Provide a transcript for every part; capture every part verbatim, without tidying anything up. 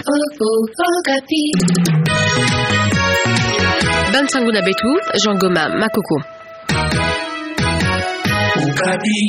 Okapi. Bansangu na beto, Jean Goma Makoko. Okapi.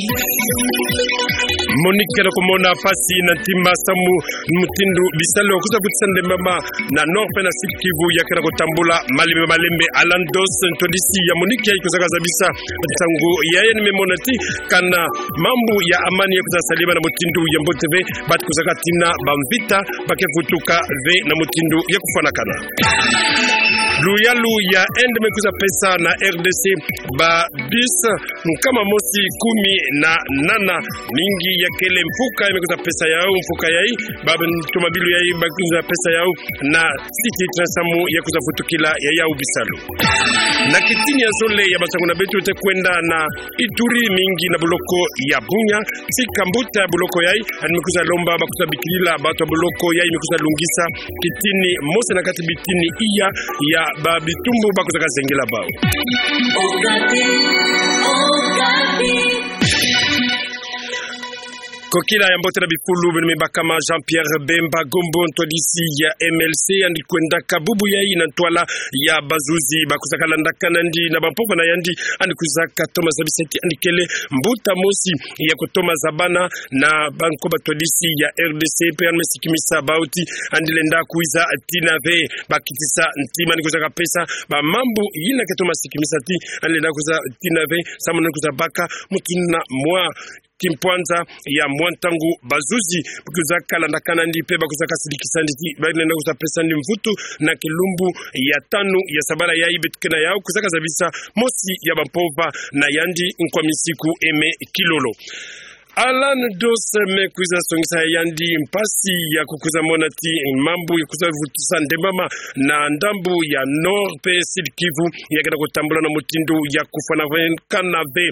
MONUC ke na komona mpasi na ntima samu mutindu bisalu ya kwiza vutisa ndembama na Nord mpe na Sud Kivu ya ke na kotambula malembe malembe. Alan Dos, ntwadisi ya MONUC, yayi kwizaka zabisa nsangu yayi, ni me mona ti kana mambu ya amani ya kwiza salama na mutindu ya mbote ve, bati kwizaka tina bamvita ba ke vutuka ve na mutindu ya kufwanakana. Luyalu ya Inde me kwiza pesa na R D C ba bus nkama mosi kumi na nana, mingi ya kele mfuka ya me kwiza pesa yau, mfuka yayi, ba ntomabilu yayi ba kwiza pesa yau na site tina samu ya kwiza vutukila ya yau bisalu. Na kitini ya zole ya bansangu na beto, tute kwenda na Ituri, mingi na boloko ya Bunia, tika mbuta ya boloko yayi, ani me kwiza lomba ba kwiza bikilila bato ya boloko yayi me kwiza lungisa kitini mosi na kati bitini iya ya ba bitumbu ba kwizaka zengela bau. Kokila ya mbote na bifulu, beno me bakama Jean-Pierre Bemba Gombo, ntwadisi ya M L C, yandi kwendaka bubu yayi na ntwala ya bazuzi ba kwizaka landakana nandi na bampova na yandi, yandi kwizaka toma zabisa ti yandi kele mbuta mosi ya kotoma zabana na banko batwadisi ya R D C, mpe yandi me sikimisa bau ti yandi lenda kwiza tina ve ba kitisa ntima, yandi kwizaka pesa ba mambu yina ke toma sikimisa ti yandi lenda kwiza tina ve, samu yandi kwiza baka mutu na mwa kimpwanza ya mwa ntangu bazuzi ba kwizaka landakana nandi mpe ba kwizaka sidikisa nandi ti ba lenda kwiza pesa nandi mvutu na kilumbu ya tanu ya sabala yayi beto ke na yau, kwizaka zabisa mosi ya bampova na yandi, nkwa misiku eme kilolo. Alan Dos me kwiza songisa yandi mpasi ya kukwiza mona ti mambu ya kwiza vutisa ndembama na ndambu ya Nord mpe Sud Kivu ya ke na kotambula na mutindu ya kufwanakana ve.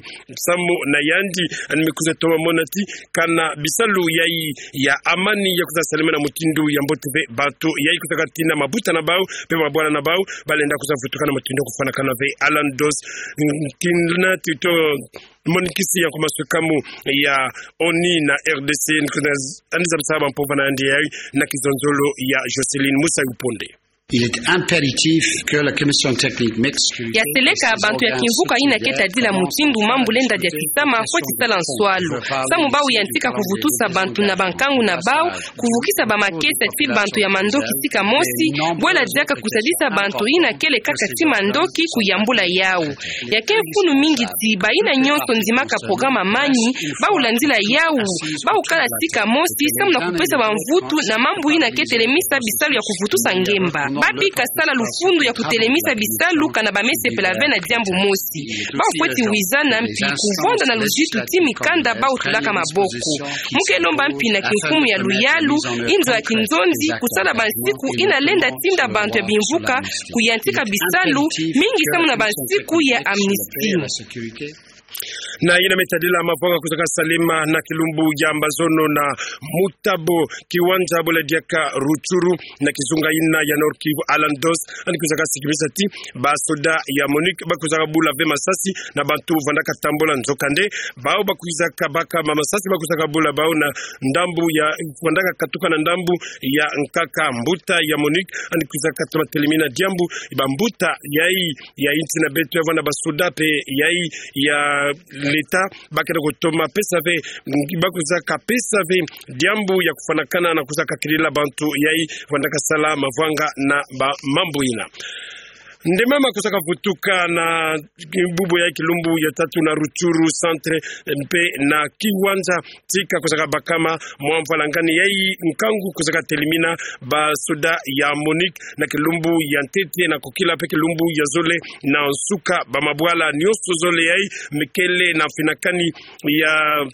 Samu na yandi, yandi me kwiza toma mona ti kana bisalu yayi ya amani ya kwiza salama na mutindu ya mbote ve, bato yayi kwizaka tina mabuta na bau mpe mabwala na bau ba lenda kwiza vutuka na mutindu ya kufwanakana ve. Alan Dos, mm, kina tito monikisi ya nkumbu ya masukamu ya ONU na R D C, yandi zabisa bampova na yandi yayi na kizonzolo ya Jocelyne Musayu Ponde. Il est impératif que la commission technique mixte, ya seleka bantu ya kimvuka yina ke tadila mutindu mambu lenda diatisama, fweti sala nswalu. Samu bau yantika kuvutusa bantu na bankangu na bau, kuvukisa bamakesa ti bantu ya mandoki tika mosi, bwela diaka kusadisa bantu yina kele kaka ti mandoki kuyambula yau. Ya ke mfunu mingi ti bayina nyonso ndimaka programa Amani, bau landila yau, bau kala tika mosi, samu na kupesa bamvutu na mambu yina ke telemisa bisalu ya kuvutusa ngemba. Babika sala lufundu ya kutelemisa bisalu kana ba me sepela ve na diambu mosi. Bau fweti wizana mpi kuvwanda na luzitu ti mikanda bau tulaka maboko. Mu ke lomba mpi na kimfumu ya luyalu, inzo ya kinzonzi, kusala bansiku yina lenda tinda bantu ya bimvuka kuyantika bisalu, mingi samu na bansiku ya amnistie. Na yina me tadila mavwanga kwizaka salama na kilumbu ya mbazono na Mutabo, kiwanja bwela diaka Rutshuru, na kizunga yina ya Nord-Kivu, Alan Dos, yandi kwizaka sikimisa ti basoda ya MONUC ba kwizaka bula ve masasi na bantu vandaka tambula. Nzokande bau ba kwizaka baka ma masasi, ba kwizaka bula bau na ndambu ya vandaka katuka na ndambu ya nkaka. Mbuta ya MONUC yandi kwizaka toma telemina diambu, bambuta yayi ya insi na beto ya vwanda basoda mpe yayi ya leta, ba ke na kotoma pesa ve, ba kwizaka pesa ve diambu ya kufwanakana na kwizaka kilila bantu yayi vandaka sala mavwanga na ba mambu yina. Ndembama kwizaka vutuka na bubu ya kilumbu ya tatu na Rutshuru centre mpe na kiwanja tika kwizaka bakama mwa mvwalangani yayi nkangu kwizaka telemina basoda ya MONUC na kilumbu ya ntete na kokila mpe kilumbu ya zole na nsuka. Bamabwala nyonso zole yayi me kele na mfinakani ya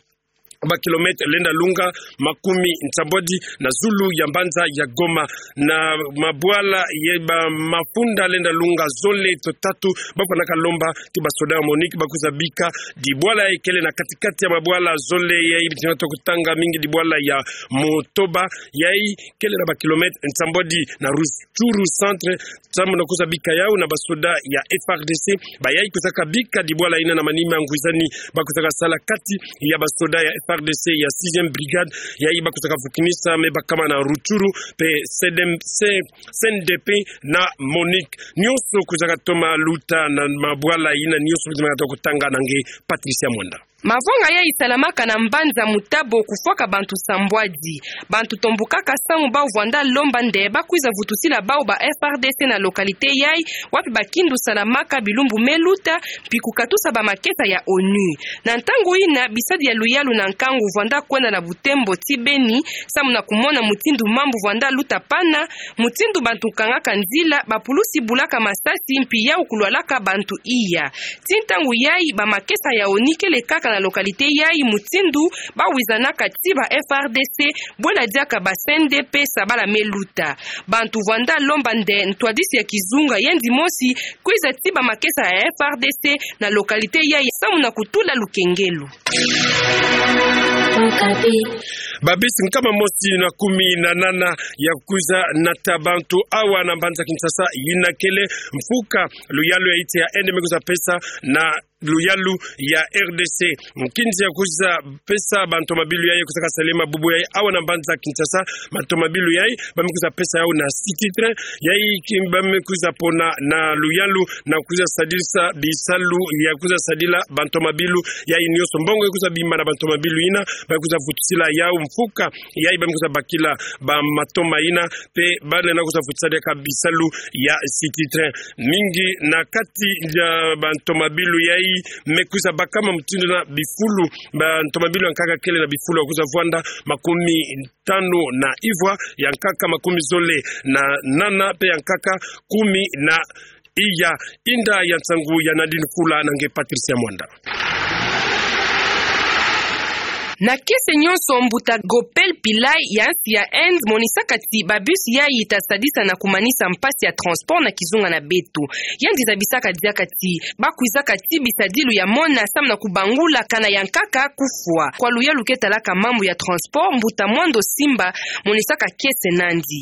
ba kilomètre lenda lunga makumi nsambwadi na zulu ya mbanza ya Goma. Na mabwala ye ba mafunda lenda lunga zole to tatu, ba fwanaka lomba ti basoda ya MONUC ba kwiza bika dibwala yayi kele na kati-kati ya mabwala zole yayi, bitinga toko tanga mingi dibwala ya Motoba, yayi kele na ba kilomètre nsambwadi na Rutshuru centre, samu na kwiza bika yau na basoda ya F R D C. Bayayi kwizaka bika dibwala yina na manima ya ngwizani ba kwizaka sala kati ya basoda ya F R D C ya sixième brigade, yayi bakwizaka vukinisa me bakama na Rutshuru, pe C D M C, C N D P na MONUC. Nyonso kwizaka toma luta na mabwala yina nyonso, mizimana toko tanga na nge Patricia Mwanda. Mavwanga yayi salamaka na mbanza Mutabo kufwaka bantu sambwadi. Bantu tombukaka samu bau vwanda lomba nde bakwiza vutusila bau ba F R D C na localité yayi, wapi bakindu salamaka bilumbu me luta, mpi kukatusa bamakesa ya ONU. Na ntangu yina, bisadi ya luyalu na nkangu vwanda kwenda na Butembo ti Beni, samu na kumona mutindu mambu vwanda luta pana, mutindu bantu kangaka nzila, bapulusi bulaka masasi, mpi yau kulwalaka bantu iya. Ti ntangu yayi, bamakesa ya ONU kele kaka na localité yayi, mutindu bawizanaka ti ba F R D C, bwela diaka ba C N D P sabala me luta. Bantu vwanda lomba nde ntwadisi ya kizunga yendi mosi kwiza ti bamakesa ya F R D C na localité yayi samu na kutula lukengelo. Babisi nkama mosi na kumi na nana ya kwiza nata bantu awa na mbanza Kinshasa yina kele mfuka luyalu ya insi ya Inde me kwiza pesa na luyalu ya R D C. Nkinzi ya kwiza pesa bantomabilu yayi kwizaka salema bubu yayi awa na mbanza Kinshasa, bantomabilu yayi, ba me kwiza pesa yau na City Train, yayi ki-, ba me kwiza pona na luyalu, na kwiza sadisa bisalu ya kwiza sadila bantomabilu yayi nyonso. Mbongo ya kwiza bima na bantomabilu yina, ba kwiza vutusila yau mfuka yayi ba me kwiza bakila bamatoma yina, pe balenda kwiza vutusa diaka bisalu ya City Train. Mingi na kati ya bantomabilu yayi me kwiza bakama mutindu na bifulu. Bantomabilu ya nkaka kele na bifulu ya kwiza vwanda makumi tanu na ivwa, ya nkaka makumi zole na nana, pe ya nkaka kumi na iya. Inda ya nsangu ya Nadine Kula na nge Patricia Mwanda. Na kiese nyonso, mbuta Gopal Pillai ya insi ya Inde monisaka ti babisi yayi ta sadisa na kumanisa mpasi ya transport na kizunga na beto. Yandi zabisaka diaka ti bakwizaka ti bisadilu ya mona samu na kubangula kana ya nkaka kufwa. Kwa luyalu ke talaka mambu ya transport, mbuta Mwando Simba monisaka kiese nandi.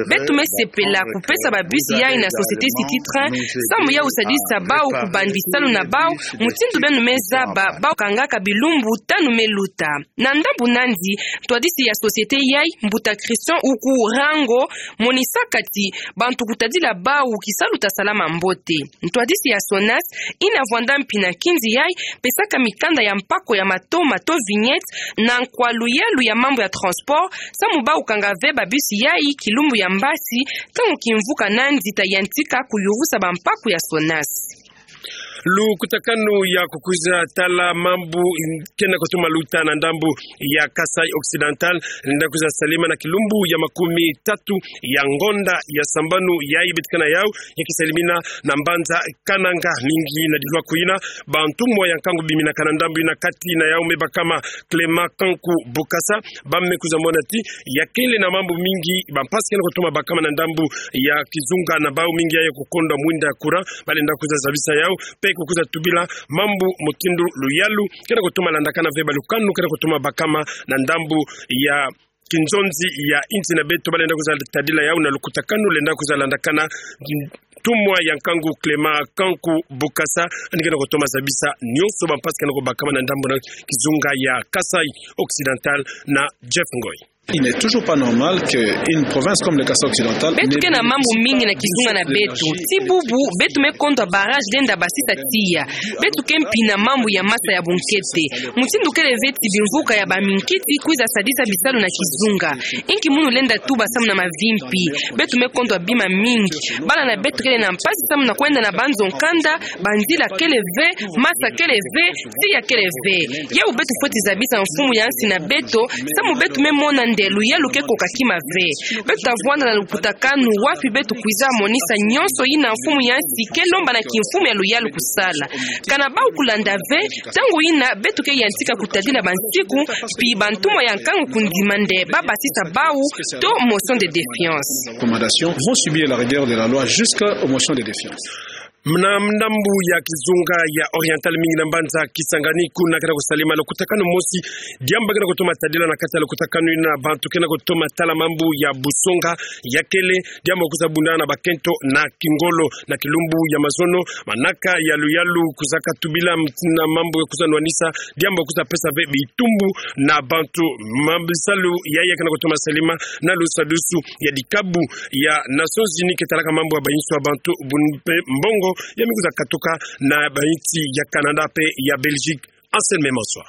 Beto me sepela kupesa babisi yayi na société City Train, samu yau sadisa bau kubandi salu na bau, mutindu beno me zaba, bau kangaka bilumbu tanu me luta. Na ndambu nandi, ntwadisi ya société yayi, mbuta Christian Ukurango, monisaka ti bantu kutadila bau kisalu ta salama mbote. Ntwadisi ya SONAS, yina vwanda mpi na nkinzi yayi, pesaka mikanda ya mpako ya matoma to vignette, na nkwa luyalu ya mambu ya transport, samu bau kanga ve babisi yayi kilumbu ya mbasi, ntangu kimvuka nandi ta yantika kuyurusa bampako ya SONAS. Lukutakanu ya kukwiza tala mambu kena kutuma luta na ndambu ya Kasaï Occidental, lenda kwiza salima na kilumbu ya makumi tatu ya ngonda ya sambanu yayi beto ke na yau, ya kisalimina na mbanza Kananga. Mingi na dilwa kuyina, bantumwa ya nkangu biminaka na ndambu yina, kati na yau me bakama Clément Kanku Bukasa, ba me kwiza mona ti ya kele na mambu mingi, bampasi kena kutuma bakama na ndambu ya kizunga na bau, mingi yayi kukondwa mwinda ya courant, balenda kwiza zabisa yau, pe kukwiza tubila mambu mutindu luyalu kena kutuma landakana ve, balukanu kena kutuma bakama na ndambu ya kinzonzi ya insi na beto, balenda kwiza tadila yau na lukutakanu lenda kwiza landakana ntumwa ya nkangu Clément Kanku Bukasa, yandi kena kutuma zabisa nyonso bampasi kena kubakama na ndambu na kizunga ya Kasaï Occidental na Jeff Ngoy. Il n'est toujours pas normal que une province comme le Kasaï Occidental... Beto ke na mambu mingi na kizunga na beto. Ti bubu, beto me kondwa barrage lenda basisa tiya. Beto ke mpi na mambu ya masa ya bunkete. Mutindu kele ve ti bimvuka ya baminkiti kwiza sadisa bisalu na kizunga. Inki munu lenda tuba samu na mavimpi? Beto me kondwa bima mingi. Bala na beto kele na mpasi samu na kwenda na banzo nkanda, banzila kele ve, masa kele ve, tiya kele ve. Yau beto fweti zabisa mfumu ya nsi na beto, samu beto me mona nde luyalu ke koka kima ve. Beto ta vwanda na lukutakanu wapi beto kwiza monisa nyonso yina mfumu ya nsi ke lomba na kimfumu ya luyalu kusala. Kana bau kulanda ve, ntangu yina beto ke yantika kutadila bansiku, mpi bantumwa ya nkangu kundima nde ba basisa bau, to motion de défiance. Recommandations vont subir la rigueur de la loi jusqu'aux motions de défiance. Muna ndambu ya kizunga ya Oriental, mingi na mbanza Kisangani, kuna kena kusalama lukutakanu mosi, diambu kena kutoma tadila. Na kati ya lukutakanu yina, bantu kena kutoma tala mambu ya busonga ya kele, diambu kwiza bundana na bakento na kingolo. Na kilumbu ya mazono, manaka ya luyalu kwizaka tubila mutindu na mambu ya kwiza nwanisa, diambu kwiza pesa ve bitumbu na bantu. Mambu salu yayi kena kutoma salama na lusadusu ya dikabu ya Nations Unies ke talaka mambu ya bayinso ya bantu, bun-, pe-, mbongo ya mi kwiza katuka na bayinsi ya Canada pe ya Belgique. Anselme Maswa.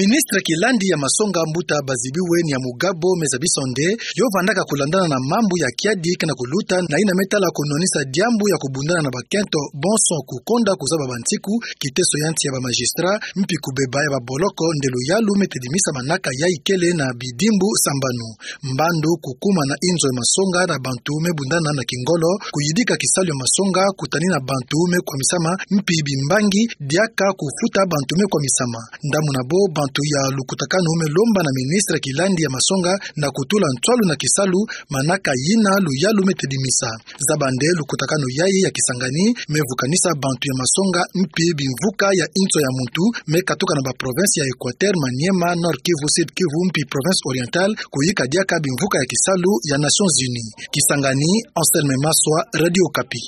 Ministre kilandi ya masonga, mbuta Bazibiwe Nyamugabo, me zabisa nde yo vandaka kulandana na mambu ya kiadi kena kuluta, na yina me tala kunwanisa diambu ya kubundana na bakento bonso, kukonda kuzaba bansiku, kiteso ya nsi ya ba magistrat, mpi kubeba ya baboloko, nde luyalu me tedimisa manaka yayi kele na bidimbu sambanu. Mbandu kukuma na inzo ya masonga na bantu me bundana na kingolo, kuyidika kisalu ya masonga, kutanina bantu me kwamisama, mpi bimbangi, diaka kufuta bantu me kwamisama. Ndamuna bo, bantu ya lukutakanu me lomba na ministre kilandi ya masonga na kutula ntwalu na kisalu, manaka yina luyalu me tedimisa. Zaba nde lukutakanu yayi ya Kisangani me vukanisa bantu ya masonga mpi bimvuka ya inzo ya muntu me katuka na ba province ya Equateur, Maniema, Nord-Kivu, Sud-Kivu mpi Province-Orientale, kuyika diaka bimvuka ya kisalu ya Nations Unies. Kisangani, Anselme Maswa, Radio Okapi.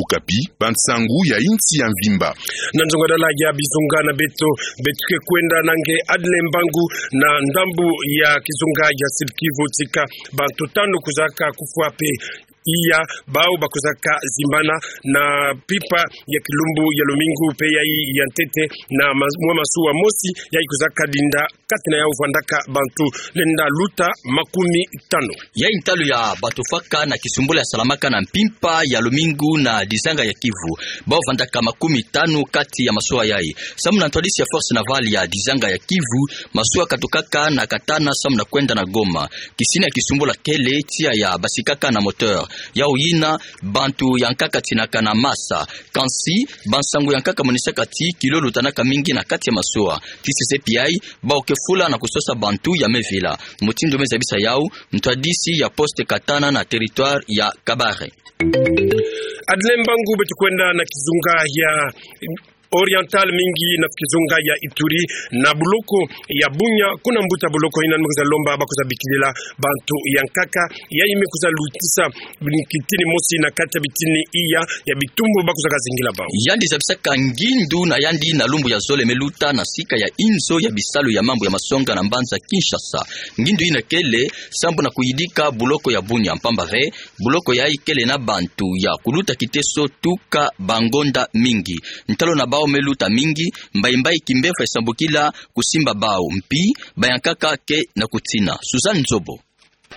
Okapi, bansangu ya insi ya mvimba. Na nzongadala ya bizunga na beto, beto ke kwenda na nge Adle Mbangu na ndambu ya kizunga ya Sud-Kivu, tika bantu tanu kwizaka kufwa pe iya, bau bakwizaka zimbana na mpimpa ya kilumbu ya lumingu pe yayi ya ntete, na ma-, mwa masuwa mosi yayi kwizaka dinda, kati na yau vandaka bantu lenda luta makumi tanu. Yayi ntalu ya bantu fwaka na kisumbula ya salamaka na mpimpa ya lumingu na dizanga ya Kivu. Bau vandaka makumi tanu kati ya masuwa yayi. Samu na ntwadisi ya Force Navale ya dizanga ya Kivu, masuwa katukaka na Katana samu na kwenda na Goma. Kisini ya kisumbula kele tiya ya basikaka na moteur. Yau yina, bantu ya nkaka tinaka na masa. Kansi, bansangu ya nkaka monisaka ti kilo lutanaka mingi na kati ya masuwa. Ti sese pi yayi, bau ke fula na kusosa bantu ya me vila. Mutindu me zabisa yau ntwadisi ya poste Katana na territoire ya Kabare. Adle Mbangu, beto kwenda na kizunga ya Oriental, mingi na kizunga ya Ituri, na buloko ya Bunia, kuna mbuta buloko yina me kwiza lomba bakwiza bikilila bantu ya nkaka yayi me kwiza lutisa kitini mosi na kati ya bitini iya ya bitumbu bakwizaka zingila bau. Yandi zabisaka ngindu na yandi na lumbu ya zole me luta na sika ya inzo ya bisalu ya mambu ya masonga na mbanza Kinshasa. Ngindu yina kele sambu na kuyidika buloko ya Bunia, mpamba ve buloko yayi kele na bantu ya kuluta kiteso tuka bangonda mingi. Ntalu na bau me luta mingi, mbayi mbayi kimbevo esambukila kusimba bau, mpi ba ya nkaka ke na kutina. Suzanne Nzobo.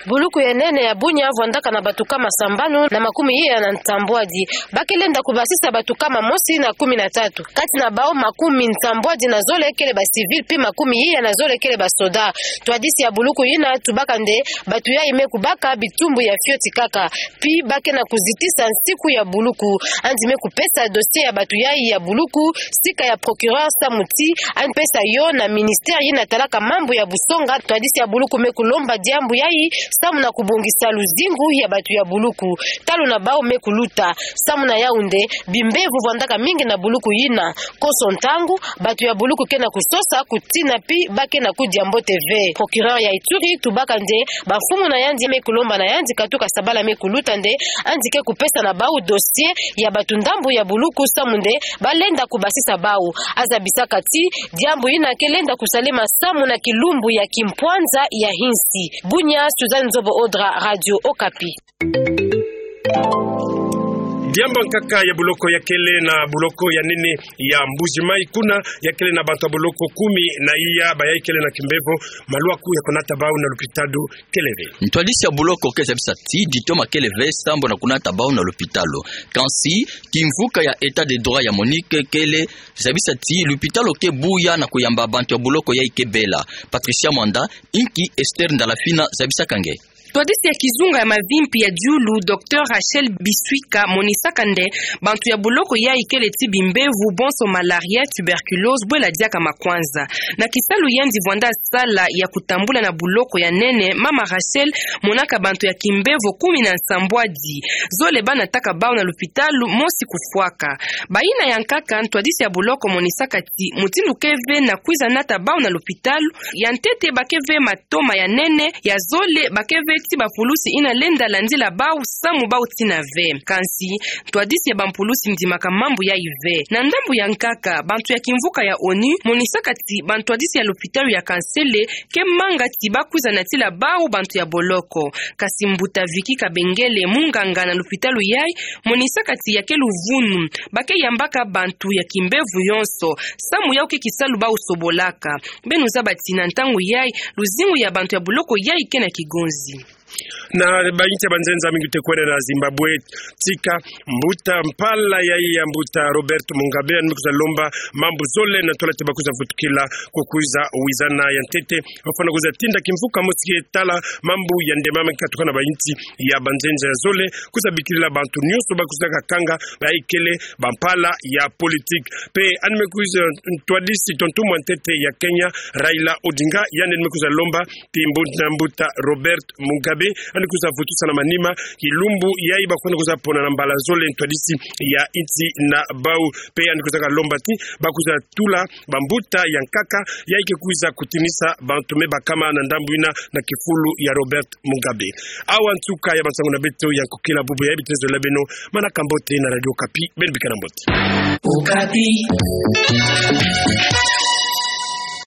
Buluku ya nene ya Bunia vwandaka na batu kama sambanu na makumi iya na nsambwadi. Ba ke lenda kubasisa batu kama mosi na kumi na tatu. Kati na bau, makumi nsambwadi na zole kele ba civil, pi makumi iya na zole kele ba soda. Ntwadisi ya buluku yina tubaka nde batu yayi me kubaka bitumbu ya fioti kaka. Pi ba ke na kuzitisa nsiku ya buluku. Yandi me kupesa dossier ya batu yayi ya buluku sika ya procureur samu ti yandi pesa yo na ministère yina talaka mambu ya busonga. Ntwadisi ya buluku me kulomba diambu yayi samu na kubongisa luzingu ya batu ya buluku. Ntalu na bau me kuluta. Samu na yau nde bimbevo vwandaka mingi na buluku yina. Konso ntangu, batu ya buluku ke na kusosa, kutina, pi ba ke na kudia mbote ve. Procureur ya Ituri tubaka nde bamfumu na yandi me kulomba na yandi katuka sabala me kuluta nde yandi ke kupesa na bau dossier ya batu ndambu ya buluku samu nde ba lenda kubasisa bau. Azabisaka ti diambu yina ke lenda kusalema samu na kilumbu ya kimpwanza ya insi. Bunia, Suzanne Nzobo Odra, Radio Okapi. Diambu ya nkaka ya buloko ya kele na buloko ya nene ya Mbuji Mayi, kuna ya kele na bantu ya buloko kumi na iya, bayayi kele na kimbevo, maluaku ya kunata bau na lupitalu kele ve. Ntwadisi ya buloko ke zabisa ti ditoma kele ve sambu na kunata bau na lupitalu. Kansi, kimvuka ya état de droit ya MONUC kele zabisa ti lupitalu ke buya na kuyamba bantu ya buloko yayi ke bela. Patricia Mwanda, inki Esther Ndalafina zabisaka nge. Ntwadisi ya kizunga ya mavimpi ya diulu, Docteur Rachel Biswika, monisaka nde bantu ya boloko yai kele ti bimbevo, bonso malaria, tuberculose, bwela diaka makwanza. Na kisalu yandi vwanda sala ya kutambula na boloko ya nene, Mama Rachel monaka bantu ya kimbevo kumi na nsambwadi. Zole banataka bau na lupitalu, mosi kufwaka. Bayina ya nkaka, ntwadisi ya boloko monisaka ti mutindu ke ve na kwiza nata bau na lupitalu, ya ntete ba ke ve matoma ya nene, ya zole ba ke ve ti bapulusi yina lenda landila bau samu bau tina ve. Kansi, ntwadisi ya bampulusi ndimaka mambu yai ve. Na ndambu ya nkaka, bantu ya kimvuka ya ONU monisaka ti bantwadisi ya lupitalu ya Kansele ke manga ti ba kwiza natila bau bantu ya boloko. Kasi mbuta Vicky Kabengele, munganga na lupitalu yai, monisaka ti ya ke luvunu, ba ke yambaka bantu ya kimbevo yonso, samu yau ke kisalu bau sobolaka. Beno zaba ti na ntangu yai, luzingu ya bantu ya boloko yai ke na kigonzi. Na bainsi ya banzenza mingi te kwenda na Zimbabwe, tika mbuta mpala yai ya mbuta Robert Mugabe, yandi me kwiza lomba mambu zole na ntwala ti ba kwiza vutukila, ko kwiza wizana ya ntete, bafwana kwiza tinda kimvuka mosi ke tala mambu ya nde mama katuka na bainsi ya banzenza ya zole, kwiza bikilila bantu nyonso ba kwiza kakanga, ba ikele bampala ya politique. Pe yandi me kwiza ntwadisi tontumwa ntete ya Kenya, Raila Odinga, yandi me kwiza lomba ti mbuta, mbuta Robert Mugabe, yandi kwiza vutusa na manima, kilumbu yai ba kwenda kwiza pona na mbala zole ntwadisi ya insi na bau. Pe yandi kwiza kalomba ti ba kwiza tula bambuta ya nkaka yai ke kwiza kutinisa bantu me bakama na ndambu yina na kifulu ya Robert Mugabe. Awa nsuka ya bansangu na beto ya nkokila, bubu yai bitezo la beno, manaka mbote na Radio Okapi, beno bikana mbote. Okapi.